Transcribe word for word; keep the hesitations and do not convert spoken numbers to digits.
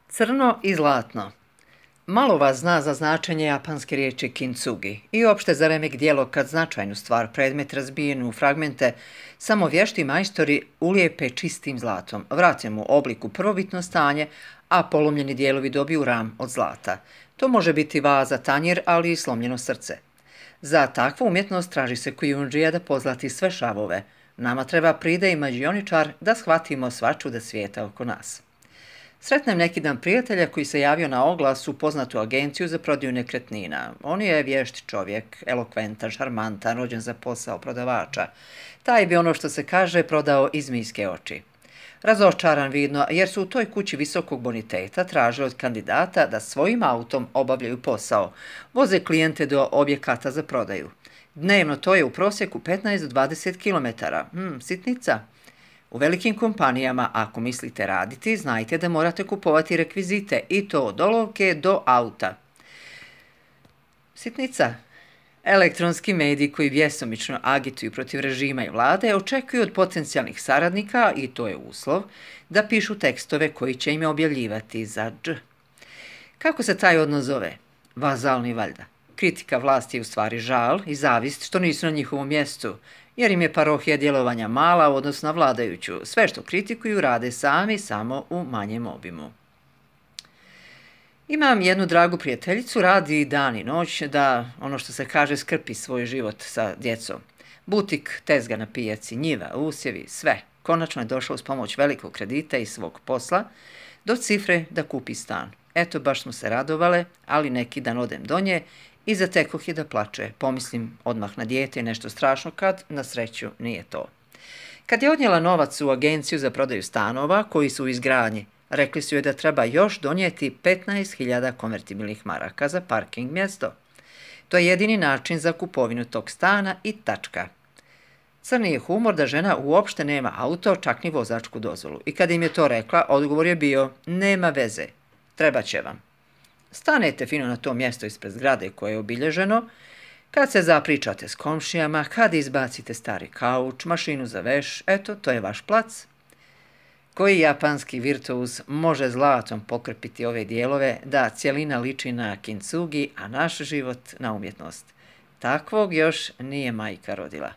Crno i zlatno. Malo vas zna za značenje japanske riječi kintsugi i opšte za remek djelo kad značajnu stvar, predmet razbijen u fragmente, samo vješti majstori ulijepe čistim zlatom, vrate mu obliku prvobitno stanje, a polomljeni dijelovi dobiju ram od zlata. To može biti vaza, tanjir, ali i slomljeno srce. Za takvu umjetnost traži se kujundžija da pozlati sve šavove. Nama treba pride i mađioničar da shvatimo sva čuda svijeta oko nas. Sretnem neki dan prijatelja koji se javio na oglas u poznatu agenciju za prodaju nekretnina. On je vješt čovjek, elokventan, šarmantan, rođen za posao prodavača. Taj bi ono što se kaže prodao iz zmijske oči. Razočaran vidno jer su u toj kući visokog boniteta tražili od kandidata da svojim autom obavljaju posao. Voze klijente do objekata za prodaju. Dnevno to je u prosjeku petnaest do dvadeset kilometara. Hmm, sitnica. U velikim kompanijama, ako mislite raditi, znajte da morate kupovati rekvizite i to od olovke do auta. Sitnica. Elektronski mediji koji vjesomično agituju protiv režima i vlade očekuju od potencijalnih saradnika, i to je uslov, da pišu tekstove koji će im objavljivati za dž. Kako se taj odnos zove? Vazalni valjda. Kritika vlasti je u stvari žal i zavist što nisu na njihovom mjestu, jer im je parohija djelovanja mala u odnosu na vladajuću. Sve što kritikuju rade sami, samo u manjem obimu. Imam jednu dragu prijateljicu, radi dan i noć da, ono što se kaže, skrpi svoj život sa djecom. Butik, tezga na pijaci, njiva, usjevi, sve. Konačno je došla uz pomoć velikog kredita i svog posla do cifre da kupi stan. Eto, baš smo se radovale, ali neki dan odem do nje i zatekoh je da plače. Pomislim odmah na dijete i nešto strašno kad, na sreću, nije to. Kad je odnijela novac u agenciju za prodaju stanova koji su u izgradnji, rekli su joj da treba još donijeti petnaest hiljada konvertibilnih maraka za parking mjesto. To je jedini način za kupovinu tog stana i tačka. Crni je humor da žena uopšte nema auto, čak ni vozačku dozvolu. I kad im je to rekla, odgovor je bio: nema veze, treba će vam. Stanete fino na to mjesto ispred zgrade koje je obilježeno, kad se zapričate s komšijama, kad izbacite stari kauč, mašinu za veš, eto, to je vaš plac. Koji japanski virtuuz može zlatom pokrpiti ove dijelove da cjelina liči na kintsugi, a naš život na umjetnost? Takvog još nije majka rodila.